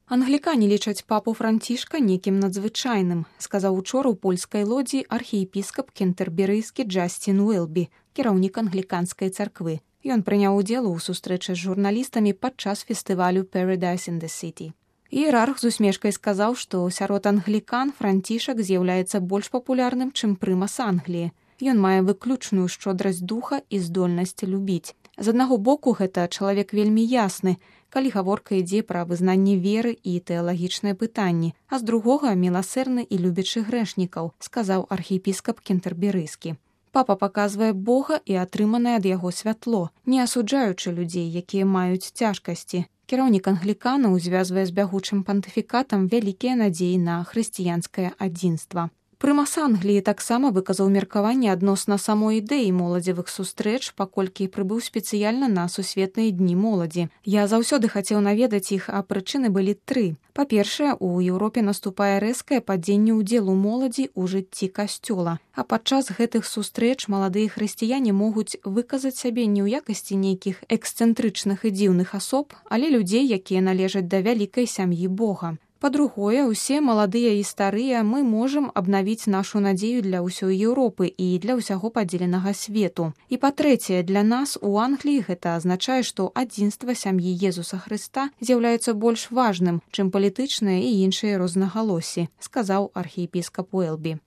Англікане лічаць папу Францішка некім надзвычайным, сказаў учора ў польскай лодзі архіепіскап кентэрберыйскі Джасцін Уэлбі, кіраўнік англіканскай царквы. Ён прыняў удзел у сустрэчы з журналістамі падчас фестывалю Paradise in the City. Іерарх з усмешкай сказаў, што сярод англікан Францішак з'яўляецца больш папулярным, чым прымас Англіі. Ён мае выключную шчодрасць духа і здольнасць любіць. З аднаго боку, гэта чалавек вельмі ясны, калі гаворка ідзе пра вызнанне веры і тэалагічныя пытанні, а з другога міласэрны і любячы грэшнікаў, сказаў архіепіскап кентэрберыйскі. Папа паказвае Бога і атрыманае ад яго святло, не асуджаючы людзей, якія маюць цяжкасці. Кіраўнік англіканаў звязвае з бягучым пантыфікатам вялікія надзеі на хрысціянскае адзінства. Прымас Англіі таксама выказаў меркаванне адносна самой ідэі моладзевых сустрэч, паколькі прыбыў спецыяльна на сусветныя дні моладзі. Я заўсёды хацеў наведаць іх, а прычыны былі 3. Па-першае, у Еўропе наступае рэзкае падзенне ўдзелу моладзі ў жыцці касцёла. А падчас гэтых сустрэч маладыя хрысціяне могуць выказаць сябе не ў якасці нейкіх эксцэнтрычных і дзіўных асоб, але людзей, якія належаць да вялікай сям'і Бога. Па-другое, усе маладыя і старыя мы можам абнавіць нашу надзею для ўсёй Еўропы і для ўсяго падзеленага свету. І па-трэцяе, для нас у Англіі гэта азначае, што адзінства сям'і Езуса Хрыста з'яўляецца больш важным, чым палітычныя і іншыя рознагалоссі, сказаў архіепіскап Уэлбі.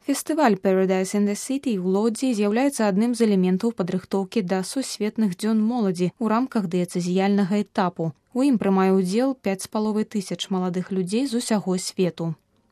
Фестываль Paradise in the City ў Лодзі з'яўляецца адным з элементаў падрыхтоўкі да сусветных дзён моладзі ў рамках дыяцэзіяльнага этапу. У ім прымае ўдзел 5500 маладых людзей з усяго свету.